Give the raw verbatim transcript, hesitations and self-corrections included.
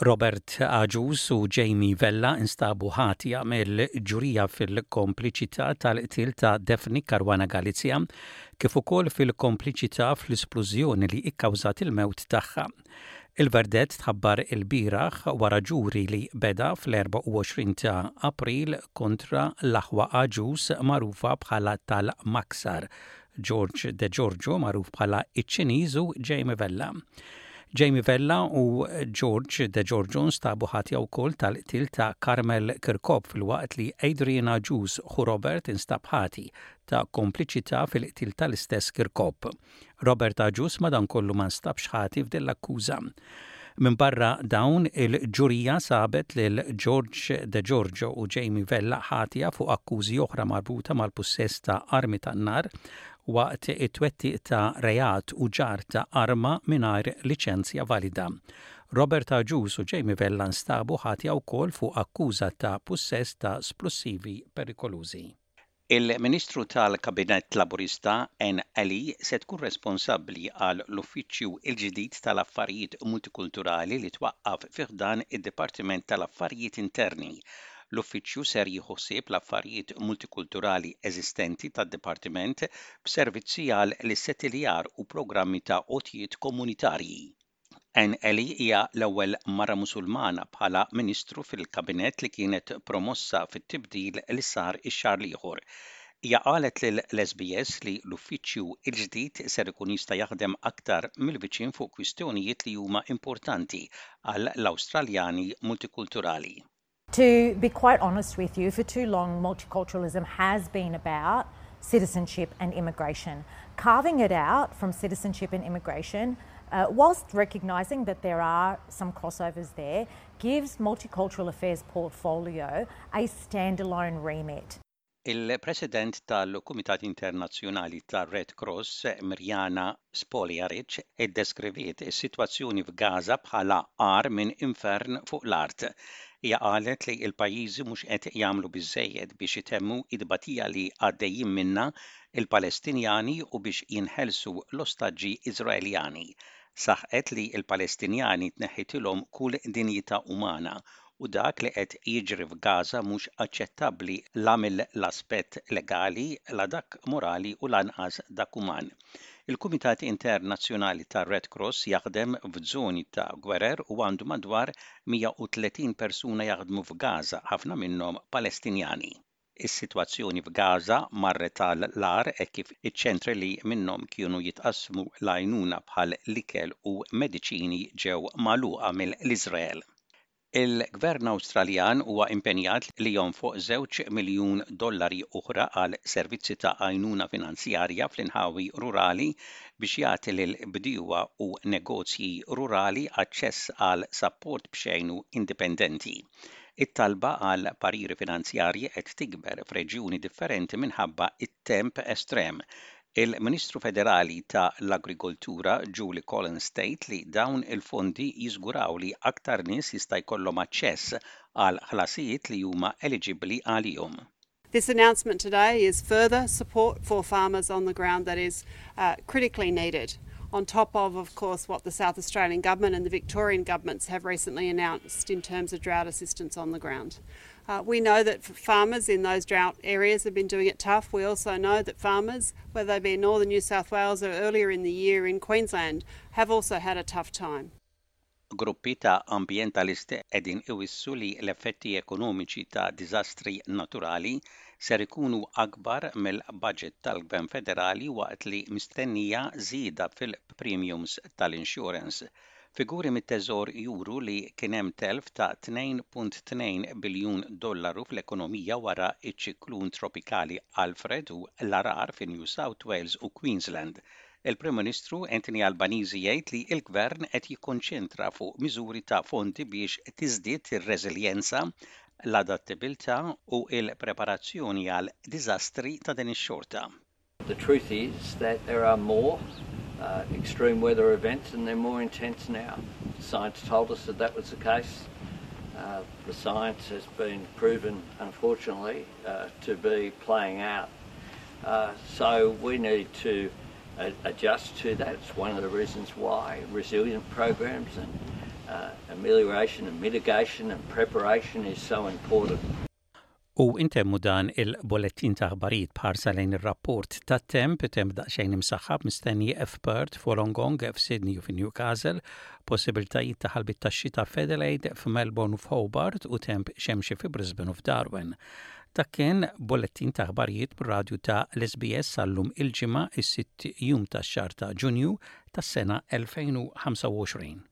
Robert Agius u Jamie Vella instabu ħatja mill-ġurija fil-kompliċità tal-qtil ta' Daphne Caruana Galizia kif ukoll fil-kompliċità fl-isplużjoni li ikkawżat il-mewt tagħha. Il-verdett tħabbar il-bieraħ wara ġuri li beda fl-erbgħa u għoxrin ta' April kontra l-aħwa Agius, magħrufa bħala tal-Maksar, George De Giorgio, magħruf bħala iċ-Ċiniż, u Jamie Vella. Jamie Vella u George De Giorgio nstabu ħatja wkoll tal-qtil ta' Carmel Kirkop, filwaqt li Adrian Agius, ħu Robert, instab ħati ta' kompliċità fil-qtil tal-istess Kirkop. Robert Agius madankollu ma nstabx ħati f'din l-akkuża. Min barra dawn, il-ġurija sabet lil George De Giorgio u Jamie Vella ħatja fuq akkużi oħra marbuta mal-pussess ta' armi tan-nar waqt it-twettiq ta' reat u ġarr ta' arma mingħajr liċenzja valida. Robert Agius u Jamie Vella nstabu ħatja wkoll fuq akkuża ta' pussess ta' splussivi perikolużi. Il-Ministru tal-Kabinett Laburista Anne Ali se tkun responsabbli għal l-Uffiċċju il-ġdid tal-Affarijiet Multikulturali li twaqqaf fi ħdan id-Dipartiment tal-Affarijiet Interni. L-uffiċċju ser jieħu ħsieb l-affarijiet multikulturali eżistenti tad-dipartiment b'servizzi għal l-issettiljar u programmi ta' għotjiet komunitarji. Anne Ali hija l-ewwel mara Musulmana bħala ministru fil-kabinett li kienet promossa fit-tibdil li sar ix-xahar l-ieħor. Hija qalet lil S B S li l-uffiċċju il-ġdid ser ikun jista' jaħdem aktar mill-viċin fuq kwistjonijiet li huma importanti għal l-Awstraljani multikulturali. To be quite honest with you, for too long, multiculturalism has been about citizenship and immigration. Carving it out from citizenship and immigration, uh, whilst recognising that there are some crossovers there, gives Multicultural Affairs portfolio a standalone remit. Il-President tal-Kumitat Internazzjonali tar-Red Cross, Mirjana Spoljaric, iddeskriviet is-sitwazzjoni f'Gaza bħala agħar minn infern fuq l-art. Hija qalet li l-pajjiżi mhux qed jagħmlu biżejjed biex itemmu id-batija li għaddejjin minnha il-Palestinjani u biex jinħelsu l-ostaġġi Iżraeljani. Saħqet li l-Palestinjani tneħħitilhom kull dinjità umana u dak li qed jiġri f'Gaza mhux aċċettabbli la mill-aspett legali, la dak morali u lanqas dak uman. Il-Kumitat Internazzjonali tar-Red Cross jaħdem f'żoni ta' gwerer u għandu madwar mija u tletin persuna jaħdmu f'Gaza, ħafna minnhom Palestinjani. Is-sitwazzjoni f'Gaza marret għall-agħar hekk kif iċ-ċentri li minnhom kienu jitqasmu l-għajnuna bħal l-ikel u mediċini ġew magħluqa mill-Iżrael. Il-Gvern Awstraljan huwa impenjat li jonfoq żewġ miljun dollari oħra għal servizzi ta' għajnuna finanzjarja fl-inħawi rurali biex jagħti lil bdiewa u negozji rurali aċċess għal sapport b'xejn u indipendenti. It-talba għal pariri finanzjarji qed tikber f'reġjuni differenti minħabba it-temp estrem. Il-Ministru Federali ta' l-Agrikoltura Julie Collins tgħid li dawn il-fondi jiżguraw li aktar nies jista' jkollhom aċċess għal ħlasijiet li huma eligibbli għalihom. This announcement today is further support for farmers on the ground that is uh, critically needed, on top of, of course, what the South Australian Government and the Victorian governments have recently announced in terms of drought assistance on the ground. Uh, we know that farmers in those drought areas have been doing it tough. We also know that farmers, whether they be in northern New South Wales or earlier in the year in Queensland, have also had a tough time. Gruppi ta' ambjentalisti qegħdin iwissu li l-effetti ekonomiċi ta' diżastri naturali ser ikunu akbar mill-budget tal-Gvern Federali waqt li mistennija żieda fil-premiums tal-insurance. Figuri mit-teżor juru li kien hemm telf ta' tnejn punt tnejn biljun dollaru fl-ekonomija wara iċ-ċiklun tropikali Alfred u l-għargħar fi New South Wales u Queensland. Il-Prim Ministru Anthony Albanese jgħid li l-Gvern qed jikkonċentra fuq miżuri ta' fondi biex tiżdied ir-reżiljenza, l-adattabilità u l-preparazzjoni għal diżastri ta' din ix-xorta. The truth is that there are more uh, extreme weather events and they're more intense now. Science told us that that was the case. Uh, the science has been proven, unfortunately, uh, to be playing out. Uh, so we need to adjust to that. It's one of the reasons why resilient programs and uh, amelioration and mitigation and preparation is so important. U intemmu dan il-bullettin ta' aħbarijiet b'ħarsa lejn ir-rapport ta' temp, temp daqsxejn imsaħħab mistenni f'Perth, f'Wollongong, f'Sydney u f'Newcastle, possibiltajiet ta' ħalbiet ta' xita f'Adelaide, f'Melbourne u f'Hobart u temp xemxi fi Brisbane u f'Darwin. Dak kien bullettin ta' aħbarijiet bir-radju ta' l-S B S sal-lum il-Ġimgħa, is-sitt jum tax-xahar ta' Ġunju tas-sena elfejn u ħamsa u għoxrin.